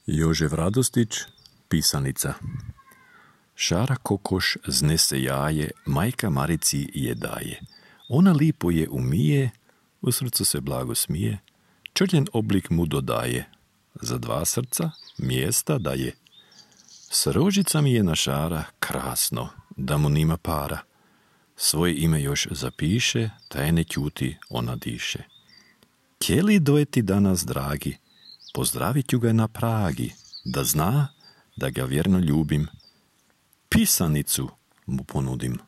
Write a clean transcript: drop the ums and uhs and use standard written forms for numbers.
Jožef Radostić, pisanica. Šara kokoš znese jaje, majka Marici je daje. Ona lipo je umije, u srcu se blago smije, črljen oblik mu dodaje. Za 2 srca mjesta daje. S rožicami je našara, krasno, da mu nima para. Svoje ime još zapiše, taj ne ćuti, ona diše. Kjeli dojeti danas, dragi, pozdravit ću ga na Pragi, da zna da ga vjerno ljubim. Pisanicu mu ponudim.